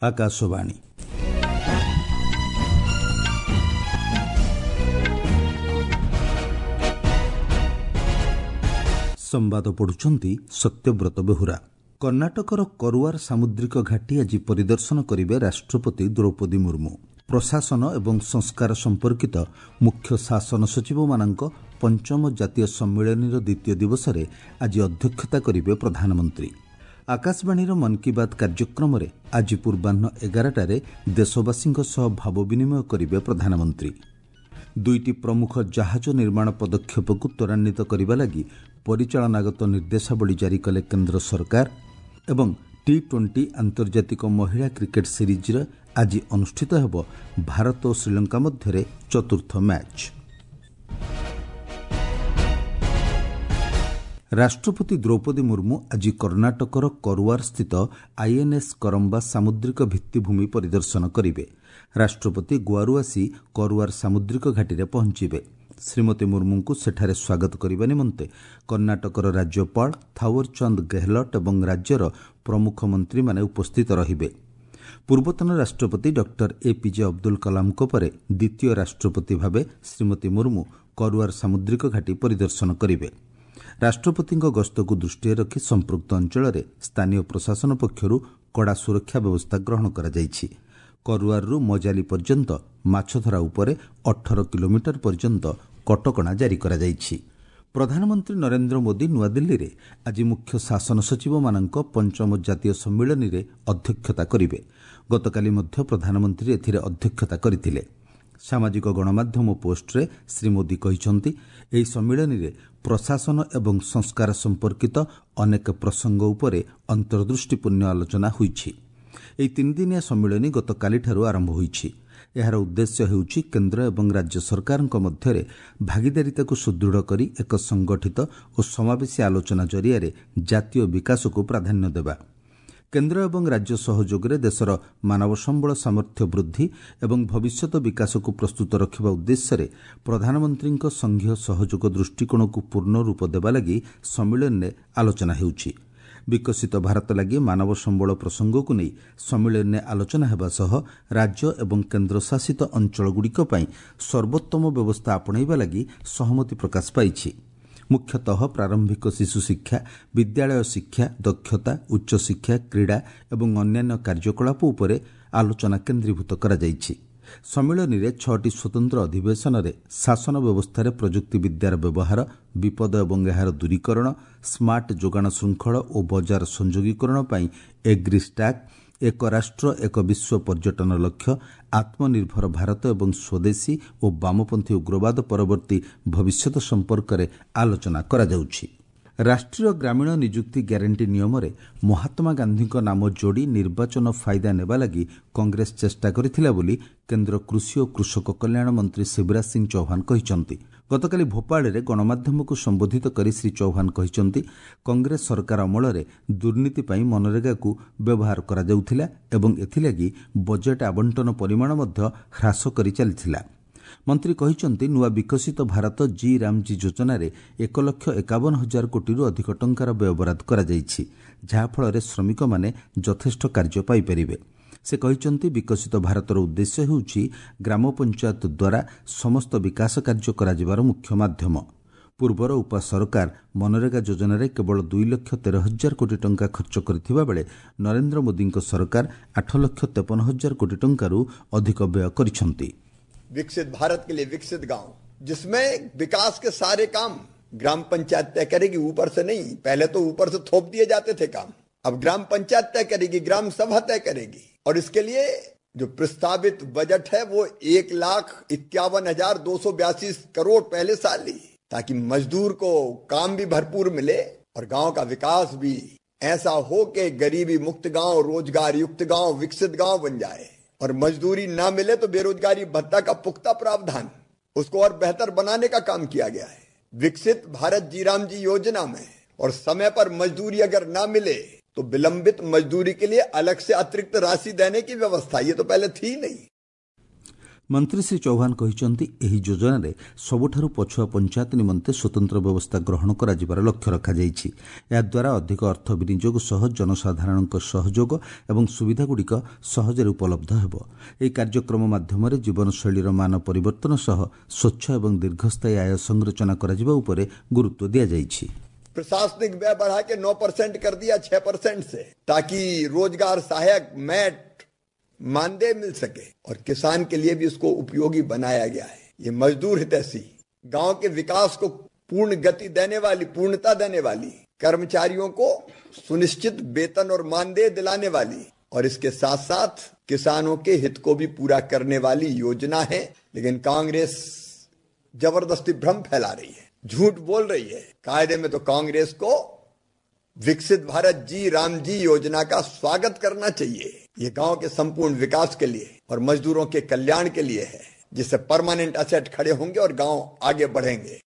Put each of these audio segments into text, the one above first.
ଆକାଶବାଣୀ। ସମ୍ବାଦ ପଢୁଛନ୍ତି ସତ୍ୟବ୍ରତ ବେହୁରା। କର୍ଣ୍ଣାଟକର କରୁଆର ସାମୁଦ୍ରିକ ଘାଟି ଆଜି ପରିଦର୍ଶନ କରିବେ ରାଷ୍ଟ୍ରପତି ଦ୍ରୌପଦୀ ମୁର୍ମୁ। ପ୍ରଶାସନ ଏବଂ ସଂସ୍କାର ସମ୍ପର୍କିତ ମୁଖ୍ୟ ଶାସନ ସଚିବମାନଙ୍କ ପଞ୍ଚମ ଜାତୀୟ ସମ୍ମିଳନୀର ଦ୍ୱିତୀୟ ଦିବସରେ ଆଜି ଅଧ୍ୟକ୍ଷତା କରିବେ ପ୍ରଧାନମନ୍ତ୍ରୀ। ଆକାଶବାଣୀର ମନ୍ କି ବାତ୍ କାର୍ଯ୍ୟକ୍ରମରେ ଆଜି ପୂର୍ବାହ୍ନ 11ଟାରେ ଦେଶବାସୀଙ୍କ ସହ ଭାବ ବିନିମୟ କରିବେ ପ୍ରଧାନମନ୍ତ୍ରୀ। ଦୁଇଟି ପ୍ରମୁଖ ଜାହାଜ ନିର୍ମାଣ ପଦକ୍ଷେପକୁ ତ୍ୱରାନ୍ୱିତ କରିବା ଲାଗି ପରିଚାଳନାଗତ ନିର୍ଦ୍ଦେଶାବଳୀ ଜାରି କଲେ କେନ୍ଦ୍ର ସରକାର ଏବଂ ଟି-20 ଆନ୍ତର୍ଜାତିକ ମହିଳା କ୍ରିକେଟ୍ ସିରିଜ୍ରେ ଆଜି ଅନୁଷ୍ଠିତ ହେବ ଭାରତ ଓ ଶ୍ରୀଲଙ୍କା ମଧ୍ୟରେ ଚତୁର୍ଥ ମ୍ୟାଚ୍। ରାଷ୍ଟ୍ରପତି ଦ୍ରୌପଦୀ ମୁର୍ମୁ ଆଜି କର୍ଣ୍ଣାଟକର କରୁଆରସ୍ଥିତ ଆଇଏନ୍ଏସ୍ କରମ୍ବା ସାମୁଦ୍ରିକ ଭିତ୍ତିଭୂମି ପରିଦର୍ଶନ କରିବେ। ରାଷ୍ଟ୍ରପତି ଗୋଆରୁ ଆସି କରୁଆର ସାମୁଦ୍ରିକ ଘାଟିରେ ପହଞ୍ଚିବେ। ଶ୍ରୀମତୀ ମୁର୍ମୁଙ୍କୁ ସେଠାରେ ସ୍ୱାଗତ କରିବା ନିମନ୍ତେ କର୍ଣ୍ଣାଟକର ରାଜ୍ୟପାଳ ଥାୱରଚାନ୍ଦ ଗେହଲଟ୍ ଏବଂ ରାଜ୍ୟର ପ୍ରମୁଖ ମନ୍ତ୍ରୀମାନେ ଉପସ୍ଥିତ ରହିବେ। ପୂର୍ବତନ ରାଷ୍ଟ୍ରପତି ଡକ୍ଟର ଏପିଜେ ଅବଦୁଲ କଲାମଙ୍କ ପରେ ଦ୍ୱିତୀୟ ରାଷ୍ଟ୍ରପତି ଭାବେ ଶ୍ରୀମତୀ ମୁର୍ମୁ କରୁଆର ସାମୁଦ୍ରିକ ଘାଟି ପରିଦର୍ଶନ କରିବେ। ରାଷ୍ଟ୍ରପତିଙ୍କ ଗସ୍ତକୁ ଦୃଷ୍ଟିରେ ରଖି ସମ୍ପୃକ୍ତ ଅଞ୍ଚଳରେ ସ୍ଥାନୀୟ ପ୍ରଶାସନ ପକ୍ଷରୁ କଡ଼ା ସୁରକ୍ଷା ବ୍ୟବସ୍ଥା ଗ୍ରହଣ କରାଯାଇଛି। କରୁଆରରୁ ମଜାଲି ପର୍ଯ୍ୟନ୍ତ ମାଛଧରା ଉପରେ 18 କିଲୋମିଟର ପର୍ଯ୍ୟନ୍ତ କଟକଣା ଜାରି କରାଯାଇଛି। ପ୍ରଧାନମନ୍ତ୍ରୀ ନରେନ୍ଦ୍ର ମୋଦି ନୂଆଦିଲ୍ଲୀରେ ଆଜି ମୁଖ୍ୟ ଶାସନ ସଚିବମାନଙ୍କ ପଞ୍ଚମ ଜାତୀୟ ସମ୍ମିଳନୀରେ ଅଧ୍ୟକ୍ଷତା କରିବେ। ଗତକାଲି ମଧ୍ୟ ପ୍ରଧାନମନ୍ତ୍ରୀ ଏଥିରେ ଅଧ୍ୟକ୍ଷତା କରିଥିଲେ। ସାମାଜିକ ଗଣମାଧ୍ୟମ ପୋଷ୍ଟରେ ଶ୍ରୀ ମୋଦି କହିଛନ୍ତି, ଏହି ସମ୍ମିଳନୀରେ ପ୍ରଶାସନ ଏବଂ ସଂସ୍କାର ସମ୍ପର୍କିତ ଅନେକ ପ୍ରସଙ୍ଗ ଉପରେ ଅନ୍ତର୍ଦୃଷ୍ଟିପୂର୍ଣ୍ଣ ଆଲୋଚନା ହୋଇଛି। ଏହି ତିନିଦିନିଆ ସମ୍ମିଳନୀ ଗତକାଲିଠାରୁ ଆରମ୍ଭ ହୋଇଛି। ଏହାର ଉଦ୍ଦେଶ୍ୟ ହେଉଛି କେନ୍ଦ୍ର ଏବଂ ରାଜ୍ୟ ସରକାରଙ୍କ ମଧ୍ୟରେ ଭାଗିଦାରିତାକୁ ସୁଦୃଢ଼ କରି ଏକ ସଂଗଠିତ ଓ ସମାବେଶୀ ଆଲୋଚନା ଜରିଆରେ ଜାତୀୟ ବିକାଶକୁ ପ୍ରାଧାନ୍ୟ ଦେବା। କେନ୍ଦ୍ର ଏବଂ ରାଜ୍ୟ ସହଯୋଗରେ ଦେଶର ମାନବ ସମ୍ବଳ ସାମର୍ଥ୍ୟ ବୃଦ୍ଧି ଏବଂ ଭବିଷ୍ୟତ ବିକାଶକୁ ପ୍ରସ୍ତୁତ ରଖିବା ଉଦ୍ଦେଶ୍ୟରେ ପ୍ରଧାନମନ୍ତ୍ରୀଙ୍କ ସଂଘୀୟ ସହଯୋଗ ଦୃଷ୍ଟିକୋଣକୁ ପୂର୍ଣ୍ଣ ରୂପ ଦେବା ଲାଗି ସମ୍ମିଳନୀରେ ଆଲୋଚନା ହେଉଛି। ବିକଶିତ ଭାରତ ଲାଗି ମାନବ ସମ୍ବଳ ପ୍ରସଙ୍ଗକୁ ନେଇ ସମ୍ମିଳନୀରେ ଆଲୋଚନା ହେବା ସହ ରାଜ୍ୟ ଏବଂ କେନ୍ଦ୍ରଶାସିତ ଅଞ୍ଚଳଗୁଡ଼ିକ ପାଇଁ ସର୍ବୋତ୍ତମ ବ୍ୟବସ୍ଥା ଆପଣେଇବା ଲାଗି ସହମତି ପ୍ରକାଶ ପାଇଛି। ମୁଖ୍ୟତଃ ପ୍ରାରମ୍ଭିକ ଶିଶୁ ଶିକ୍ଷା, ବିଦ୍ୟାଳୟ ଶିକ୍ଷା, ଦକ୍ଷତା, ଉଚ୍ଚଶିକ୍ଷା, କ୍ରୀଡ଼ା ଏବଂ ଅନ୍ୟାନ୍ୟ କାର୍ଯ୍ୟକଳାପ ଉପରେ ଆଲୋଚନା କେନ୍ଦ୍ରୀଭୂତ କରାଯାଇଛି। ସମ୍ମିଳନୀରେ 6ଟି ସ୍ୱତନ୍ତ୍ର ଅଧିବେଶନରେ ଶାସନ ବ୍ୟବସ୍ଥାରେ ପ୍ରଯୁକ୍ତିବିଦ୍ୟାର ବ୍ୟବହାର, ବିପଦ ଏବଂ ଏହାର ଦୂରୀକରଣ, ସ୍ମାର୍ଟ ଯୋଗାଣ ଶୃଙ୍ଖଳ ଓ ବଜାର ସଂଯୋଗୀକରଣ ପାଇଁ ଏଗ୍ରି ଷ୍ଟାକ୍, ଏକ ରାଷ୍ଟ୍ର ଏକ ବିଶ୍ୱ ପର୍ଯ୍ୟଟନ ଲକ୍ଷ୍ୟ, ଆତ୍ମନିର୍ଭର ଭାରତ ଏବଂ ସ୍ୱଦେଶୀ ଓ ବାମପନ୍ଥୀ ଉଗ୍ରବାଦ ପରବର୍ତ୍ତୀ ଭବିଷ୍ୟତ ସମ୍ପର୍କରେ ଆଲୋଚନା କରାଯାଉଛି। ରାଷ୍ଟ୍ରୀୟ ଗ୍ରାମୀଣ ନିଯୁକ୍ତି ଗ୍ୟାରେଣ୍ଟି ନିୟମରେ ମହାତ୍ମା ଗାନ୍ଧୀଙ୍କ ନାମ ଯୋଡ଼ି ନିର୍ବାଚନ ଫାଇଦା ନେବା ଲାଗି କଂଗ୍ରେସ ଚେଷ୍ଟା କରିଥିଲା ବୋଲି କେନ୍ଦ୍ର କୃଷି ଓ କୃଷକ କଲ୍ୟାଣ ମନ୍ତ୍ରୀ ଶିବରାଜ ସିଂ ଚୌହାନ କହିଛନ୍ତି। ଗତକାଲି ଭୋପାଳରେ ଗଣମାଧ୍ୟମକୁ ସମ୍ବୋଧିତ କରି ଶ୍ରୀ ଚୌହାନ କହିଛନ୍ତି, କଂଗ୍ରେସ ସରକାର ଅମଳରେ ଦୁର୍ନୀତି ପାଇଁ ମନରେଗାକୁ ବ୍ୟବହାର କରାଯାଉଥିଲା ଏବଂ ଏଥିଲାଗି ବଜେଟ୍ ଆବଣ୍ଟନ ପରିମାଣ ମଧ୍ୟ ହ୍ରାସ କରି ଚାଲିଥିଲା। ମନ୍ତ୍ରୀ କହିଛନ୍ତି, ନୂଆ ବିକଶିତ ଭାରତ ଜି ରାମଜୀ ଯୋଜନାରେ 1,51,000 କୋଟିରୁ ଅଧିକ ଟଙ୍କାର ବ୍ୟୟବରାଦ କରାଯାଇଛି, ଯାହାଫଳରେ ଶ୍ରମିକମାନେ ଯଥେଷ୍ଟ କାର୍ଯ୍ୟ ପାଇପାରିବେ। ସେ କହିଛନ୍ତି, ବିକଶିତ ଭାରତର ଉଦ୍ଦେଶ୍ୟ ହେଉଛି ଗ୍ରାମ ପଞ୍ଚାୟତ ଦ୍ୱାରା ସମସ୍ତ ବିକାଶ କାର୍ଯ୍ୟ କରାଯିବାର ମୁଖ୍ୟ ମାଧ୍ୟମ। ପୂର୍ବର ଉପା ସରକାର ମନରେଗା ଯୋଜନାରେ କେବଳ 2,13,000 କୋଟି ଟଙ୍କା ଖର୍ଚ୍ଚ କରିଥିବା ବେଳେ ନରେନ୍ଦ୍ର ମୋଦିଙ୍କ ସରକାର 8,53,000 କୋଟି ଟଙ୍କାରୁ ଅଧିକ ବ୍ୟୟ କରିଛନ୍ତି। विकसित भारत के लिए विकसित गांव, जिसमें विकास के सारे काम ग्राम पंचायत तय करेगी, ऊपर से नहीं। पहले तो ऊपर से थोप दिए जाते थे काम, अब ग्राम पंचायत तय करेगी, ग्राम सभा तय करेगी। और इसके लिए जो प्रस्तावित बजट है वो 1,51,282 करोड़ पहले साल ही, ताकि मजदूर को काम भी भरपूर मिले और गांव का विकास भी ऐसा हो कि गरीबी मुक्त गांव, रोजगार युक्त गांव, विकसित गांव बन जाए। और मजदूरी ना मिले तो बेरोजगारी भत्ता का पुख्ता प्रावधान, उसको और बेहतर बनाने का काम किया गया है विकसित भारत जी राम जी योजना में। और समय पर मजदूरी अगर ना मिले तो विलंबित मजदूरी के लिए अलग से अतिरिक्त राशि देने की व्यवस्था, ये तो पहले थी नहीं। ମନ୍ତ୍ରୀ ଶ୍ରୀ ଚୌହାନ କହିଛନ୍ତି, ଏହି ଯୋଜନାରେ ସବୁଠାରୁ ପଛୁଆ ପଞ୍ଚାୟତ ନିମନ୍ତେ ସ୍ୱତନ୍ତ୍ର ବ୍ୟବସ୍ଥା ଗ୍ରହଣ କରାଯିବାର ଲକ୍ଷ୍ୟ ରଖାଯାଇଛି। ଏହାଦ୍ୱାରା ଅଧିକ ଅର୍ଥ ବିନିଯୋଗ ସହ ଜନସାଧାରଣଙ୍କ ସହଯୋଗ ଏବଂ ସୁବିଧାଗୁଡ଼ିକ ସହଜରେ ଉପଲବ୍ଧ ହେବ। ଏହି କାର୍ଯ୍ୟକ୍ରମ ମାଧ୍ୟମରେ ଜୀବନଶୈଳୀର ମାନ ପରିବର୍ତ୍ତନ ସହ ସ୍ୱଚ୍ଛ ଏବଂ ଦୀର୍ଘସ୍ଥାୟୀ ଆୟ ସଂରଚନା କରାଯିବା ଉପରେ ଗୁରୁତ୍ୱ ଦିଆଯାଇଛି। प्रशासनिक व्यय बढ़ा के 9% कर दिया 6% से, ताकि रोजगार सहायक मैट मानदेय मिल सके और किसान के लिए भी इसको उपयोगी बनाया गया है। ये मजदूर हितैषी, गांव के विकास को पूर्ण गति देने वाली, पूर्णता देने वाली, कर्मचारियों को सुनिश्चित वेतन और मानदेय दिलाने वाली और इसके साथ साथ किसानों के हित को भी पूरा करने वाली योजना है। लेकिन कांग्रेस जबरदस्ती भ्रम फैला रही है, झूठ बोल रही है। कायदे में तो कांग्रेस को विकसित भारत जी राम जी योजना का स्वागत करना चाहिए। ये गांव के संपूर्ण विकास के लिए और मजदूरों के कल्याण के लिए है, जिससे परमानेंट असेट खड़े होंगे और गांव आगे बढ़ेंगे।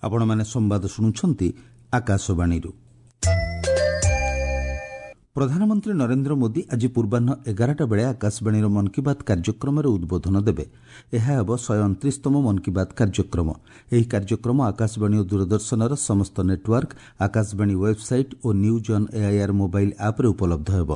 ଆପଣମାନେ ସମ୍ବାଦ ଶୁଣୁଛନ୍ତି ଆକାଶବାଣୀରୁ। ପ୍ରଧାନମନ୍ତ୍ରୀ ନରେନ୍ଦ୍ର ମୋଦି ଆଜି ପୂର୍ବାହ୍ନ 11ଟା ବେଳେ ଆକାଶବାଣୀର ମନ୍ କି ବାତ୍ କାର୍ଯ୍ୟକ୍ରମରେ ଉଦ୍ବୋଧନ ଦେବେ। ଏହା ହେବ 129ତମ ମନ୍ କି ବାତ୍ କାର୍ଯ୍ୟକ୍ରମ। ଏହି କାର୍ଯ୍ୟକ୍ରମ ଆକାଶବାଣୀ ଓ ଦୂରଦର୍ଶନର ସମସ୍ତ network, Akashvani website O news on AIR mobile ଆପ୍ରେ ଉପଲବ୍ଧ ହେବ।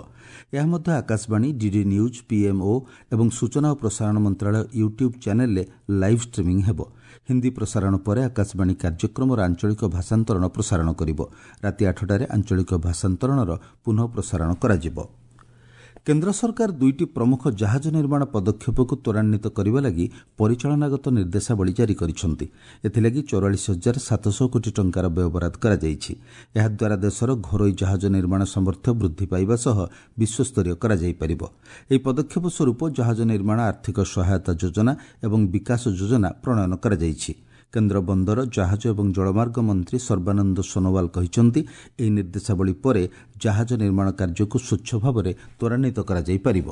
ଏହା ମଧ୍ୟ ଆକାଶବାଣୀ, ଡିଡି ନ୍ୟୁଜ୍, ପିଏମ୍ଓ ଏବଂ ସୂଚନା ଓ ପ୍ରସାରଣ ମନ୍ତ୍ରାଳୟ ୟୁଟ୍ୟୁବ୍ ଚ୍ୟାନେଲ୍ରେ ଲାଇଭ୍ ଷ୍ଟ୍ରିମିଂ ହେବ। ହିନ୍ଦୀ ପ୍ରସାରଣ ପରେ ଆକାଶବାଣୀ କାର୍ଯ୍ୟକ୍ରମର ଆଞ୍ଚଳିକ ଭାଷାନ୍ତରଣ ପ୍ରସାରଣ କରିବ। ରାତି 8ଟାରେ ଆଞ୍ଚଳିକ ଭାଷାନ୍ତରଣର ପୁନଃ ପ୍ରସାରଣ କରାଯିବ। କେନ୍ଦ୍ର ସରକାର ଦୁଇଟି ପ୍ରମୁଖ ଜାହାଜ ନିର୍ମାଣ ପଦକ୍ଷେପକୁ ତ୍ୱରାନ୍ୱିତ କରିବା ଲାଗି ପରିଚାଳନାଗତ ନିର୍ଦ୍ଦେଶାବଳୀ ଜାରି କରିଛନ୍ତି। ଏଥିଲାଗି 44,700 କୋଟି ଟଙ୍କାର ବ୍ୟୟବରାଦ କରାଯାଇଛି। ଏହାଦ୍ୱାରା ଦେଶର ଘରୋଇ ଜାହାଜ ନିର୍ମାଣ ସାମର୍ଥ୍ୟ ବୃଦ୍ଧି ପାଇବା ସହ ବିଶ୍ୱସ୍ତରୀୟ କରାଯାଇପାରିବ। ଏହି ପଦକ୍ଷେପ ସ୍ୱରୂପ ଜାହାଜ ନିର୍ମାଣ ଆର୍ଥିକ ସହାୟତା ଯୋଜନା ଏବଂ ବିକାଶ ଯୋଜନା ପ୍ରଣୟନ କରାଯାଇଛି। କେନ୍ଦ୍ର ବନ୍ଦର, ଜାହାଜ ଏବଂ ଜଳମାର୍ଗ ମନ୍ତ୍ରୀ ସର୍ବାନନ୍ଦ ସୋନୋୱାଲ କହିଛନ୍ତି, ଏହି ନିର୍ଦ୍ଦେଶାବଳୀ ପରେ ଜାହାଜ ନିର୍ମାଣ କାର୍ଯ୍ୟକୁ ସ୍ୱଚ୍ଛ ଭାବରେ ତ୍ୱରାନ୍ୱିତ କରାଯାଇପାରିବ।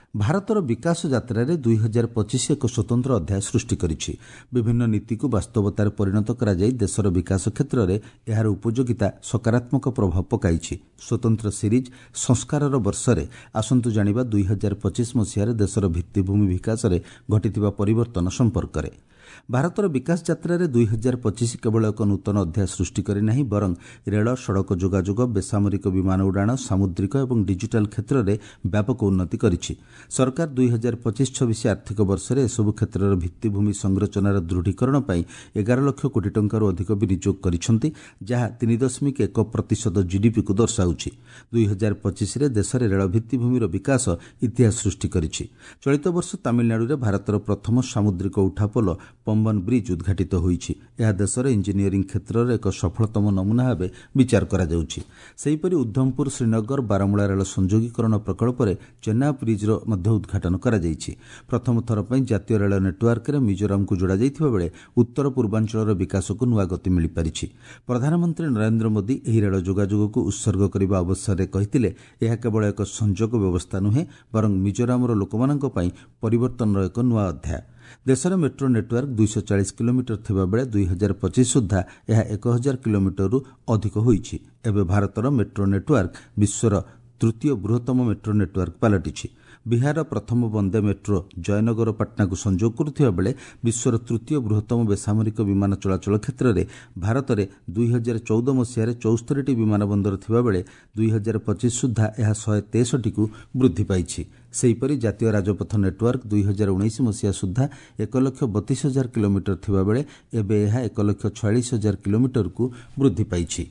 ଭାରତର ବିକାଶ ଯାତ୍ରାରେ 2025 ଏକ ସ୍ୱତନ୍ତ୍ର ଅଧ୍ୟାୟ ସୃଷ୍ଟି କରିଛି। ବିଭିନ୍ନ ନୀତିକୁ ବାସ୍ତବତାରେ ପରିଣତ କରାଯାଇ ଦେଶର ବିକାଶ କ୍ଷେତ୍ରରେ ଏହାର ଉପଯୋଗିତା ସକାରାତ୍ମକ ପ୍ରଭାବ ପକାଇଛି। ସ୍ୱତନ୍ତ୍ର ସିରିଜ୍ ସଂସ୍କାରର ବର୍ଷରେ ଆସନ୍ତୁ ଜାଣିବା 2025 ମସିହାରେ ଦେଶର ଭିତ୍ତିଭୂମି ବିକାଶରେ ଘଟିଥିବା ପରିବର୍ତ୍ତନ ସମ୍ପର୍କରେ। ଭାରତର ବିକାଶ ଯାତ୍ରାରେ 2025 କେବଳ ଏକ ନୂତନ ଅଧ୍ୟାୟ ସୃଷ୍ଟି କରିନାହିଁ, ବରଂ ରେଳ, ସଡ଼କ ଯୋଗାଯୋଗ, ବେସାମରିକ ବିମାନ ଉଡ଼ାଣ, ସାମୁଦ୍ରିକ ଏବଂ ଡିଜିଟାଲ କ୍ଷେତ୍ରରେ ବ୍ୟାପକ ଉନ୍ନତି କରିଛି। ସରକାର 2025-26 ଆର୍ଥିକ ବର୍ଷରେ ଏସବୁ କ୍ଷେତ୍ରର ଭିତ୍ତିଭୂମି ସଂରଚନାର ଦୃଢ଼ୀକରଣ ପାଇଁ 11 ଲକ୍ଷ କୋଟି ଟଙ୍କାରୁ ଅଧିକ ବିନିଯୋଗ କରିଛନ୍ତି, ଯାହା 3.1% ଜିଡିପିକୁ ଦର୍ଶାଉଛି। 2025ରେ ଦେଶରେ ରେଳ ଭିତ୍ତିଭୂମିର ବିକାଶ ଇତିହାସ ସୃଷ୍ଟି କରିଛି। ଚଳିତ ବର୍ଷ ତାମିଲନାଡୁରେ ଭାରତର ପ୍ରଥମ ସାମୁଦ୍ରିକ ଉଠାପୋଲ ପମ୍ବନ ବ୍ରିଜ୍ ଉଦ୍ଘାଟିତ ହୋଇଛି। ଏହା ଦେଶର ଇଞ୍ଜିନିୟରିଂ କ୍ଷେତ୍ରର ଏକ ସଫଳତମ ନମୁନା ଭାବେ ବିଚାର କରାଯାଉଛି। ସେହିପରି ଉଦ୍ଧମପୁର ଶ୍ରୀନଗର ବାରମୂଳା ରେଳ ସଂଯୋଗୀକରଣ ପ୍ରକଳ୍ପରେ ଚେନ୍ନାବ ବ୍ରିଜ୍ର ମଧ୍ୟ ଉଦ୍ଘାଟନ କରାଯାଇଛି। ପ୍ରଥମ ଥର ପାଇଁ ଜାତୀୟ ରେଳ ନେଟୱାର୍କରେ ମିଜୋରାମକୁ ଯୋଡ଼ାଯାଇଥିବା ବେଳେ ଉତ୍ତର ପୂର୍ବାଞ୍ଚଳର ବିକାଶକୁ ନୂଆ ଗତି ମିଳିପାରିଛି। ପ୍ରଧାନମନ୍ତ୍ରୀ ନରେନ୍ଦ୍ର ମୋଦି ଏହି ରେଳ ଯୋଗାଯୋଗକୁ ଉତ୍ସର୍ଗ କରିବା ଅବସରରେ କହିଥିଲେ, ଏହା କେବଳ ଏକ ସଂଯୋଗ ବ୍ୟବସ୍ଥା ନୁହେଁ, ବରଂ ମିଜୋରାମର ଲୋକମାନଙ୍କ ପାଇଁ ପରିବର୍ତ୍ତନର ଏକ ନୂଆ ଅଧ୍ୟାୟ। ଦେଶରେ ମେଟ୍ରୋ ନେଟୱାର୍କ 240 କିଲୋମିଟର ଥିବାବେଳେ 2025 ସୁଦ୍ଧା ଏହା 1000 କିଲୋମିଟରରୁ ଅଧିକ ହୋଇଛି। ଏବେ ଭାରତର ମେଟ୍ରୋ ନେଟୱାର୍କ ବିଶ୍ୱର ତୃତୀୟ ବୃହତ୍ତମ ମେଟ୍ରୋ ନେଟୱାର୍କ ପାଲଟିଛି। ବିହାରର ପ୍ରଥମ ବନ୍ଦେ ମେଟ୍ରୋ ଜୟନଗର ପାଟନାକୁ ସଂଯୋଗ କରୁଥିବା ବେଳେ ବିଶ୍ୱର ତୃତୀୟ ବୃହତ୍ତମ ବେସାମରିକ ବିମାନ ଚଳାଚଳ କ୍ଷେତ୍ରରେ ଭାରତରେ 2014 ମସିହାରେ 74ଟି ବିମାନ ବନ୍ଦର ଥିବାବେଳେ 2025 ସୁଦ୍ଧା ଏହା 163କୁ ବୃଦ୍ଧି ପାଇଛି। ସେହିପରି ଜାତୀୟ ରାଜପଥ ନେଟୱାର୍କ 2019 ମସିହା ସୁଦ୍ଧା 1,32,000 କିଲୋମିଟର ଥିବାବେଳେ ଏବେ ଏହା 1,46,000 କିଲୋମିଟରକୁ ବୃଦ୍ଧି ପାଇଛି।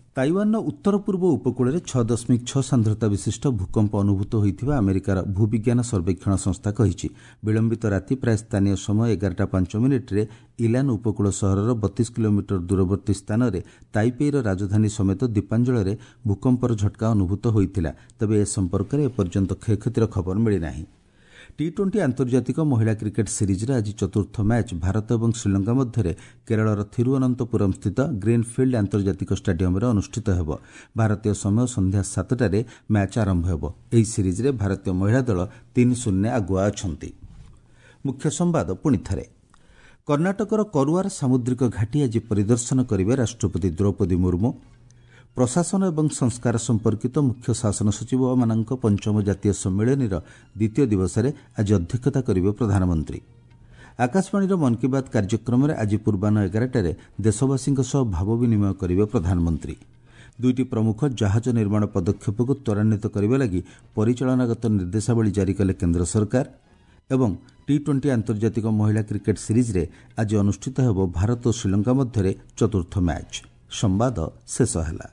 ତାଇୱାନର ଉତ୍ତର ପୂର୍ବ ଉପକୂଳରେ 6.6 ସାନ୍ଦ୍ରତା ବିଶିଷ୍ଟ ଭୂକମ୍ପ ଅନୁଭୂତ ହୋଇଥିବା ଆମେରିକାର ଭୂବିଜ୍ଞାନ ସର୍ବେକ୍ଷଣ ସଂସ୍ଥା କହିଛି। ବିଳମ୍ବିତ ରାତି ପ୍ରାୟ ସ୍ଥାନୀୟ ସମୟ 11ଟା 5 ମିନିଟ୍ରେ ଇଲାନ ଉପକୂଳ ସହରର 32 କିଲୋମିଟର ଦୂରବର୍ତ୍ତୀ ସ୍ଥାନରେ ତାଇପେଇର ରାଜଧାନୀ ସମେତ ଦ୍ୱୀପାଞ୍ଚଳରେ ଭୂକମ୍ପର ଝଟକା ଅନୁଭୂତ ହୋଇଥିଲା। ତେବେ ଏ ସମ୍ପର୍କରେ ଏପର୍ଯ୍ୟନ୍ତ କ୍ଷୟକ୍ଷତିର ଖବର ମିଳିନାହିଁ। ଟି-20 ଆନ୍ତର୍ଜାତିକ ମହିଳା କ୍ରିକେଟ୍ ସିରିଜ୍ର ଆଜି ଚତୁର୍ଥ ମ୍ୟାଚ୍ ଭାରତ ଏବଂ ଶ୍ରୀଲଙ୍କା ମଧ୍ୟରେ କେରଳର ଥିରୁଅନନ୍ତପୁରମ୍ ସ୍ଥିତ ଗ୍ରୀନ୍ଫିଲ୍ଡ ଆନ୍ତର୍ଜାତିକ ଷ୍ଟାଡିୟମ୍ରେ ଅନୁଷ୍ଠିତ ହେବ। ଭାରତୀୟ ସମୟ ସନ୍ଧ୍ୟା 7ଟାରେ ମ୍ୟାଚ୍ ଆରମ୍ଭ ହେବ। ଏହି ସିରିଜ୍ରେ ଭାରତୀୟ ମହିଳା ଦଳ 3-0 ଆଗୁଆ ଅଛନ୍ତି। ମୁଖ୍ୟ ସମ୍ବାଦ ପୁଣିଥରେ। କର୍ଣ୍ଣାଟକର କରୁଆର ସାମୁଦ୍ରିକ ଘାଟି ଆଜି ପରିଦର୍ଶନ କରିବେ ରାଷ୍ଟ୍ରପତି ଦ୍ରୌପଦୀ ମୁର୍ମୁ। ପ୍ରଶାସନ ଏବଂ ସଂସ୍କାର ସମ୍ପର୍କିତ ମୁଖ୍ୟ ଶାସନ ସଚିବମାନଙ୍କ ପଞ୍ଚମ ଜାତୀୟ ସମ୍ମିଳନୀର ଦ୍ୱିତୀୟ ଦିବସରେ ଆଜି ଅଧ୍ୟକ୍ଷତା କରିବେ ପ୍ରଧାନମନ୍ତ୍ରୀ। ଆକାଶବାଣୀର ମନ୍ କି ବାତ୍ କାର୍ଯ୍ୟକ୍ରମରେ ଆଜି ପୂର୍ବାହ୍ନ 11ଟାରେ ଦେଶବାସୀଙ୍କ ସହ ଭାବ ବିନିମୟ କରିବେ ପ୍ରଧାନମନ୍ତ୍ରୀ। ଦୁଇଟି ପ୍ରମୁଖ ଜାହାଜ ନିର୍ମାଣ ପଦକ୍ଷେପକୁ ତ୍ୱରାନ୍ୱିତ କରିବା ଲାଗି ପରିଚାଳନାଗତ ନିର୍ଦ୍ଦେଶାବଳୀ ଜାରି କଲେ କେନ୍ଦ୍ର ସରକାର। ଏବଂ ଟି 20 ଆନ୍ତର୍ଜାତିକ ମହିଳା କ୍ରିକେଟ୍ ସିରିଜ୍ରେ ଆଜି ଅନୁଷ୍ଠିତ ହେବ ଭାରତ ଓ ଶ୍ରୀଲଙ୍କା ମଧ୍ୟରେ ଚତୁର୍ଥ ମ୍ୟାଚ୍। ସମ୍ବାଦ ଶେଷ ହେଲା।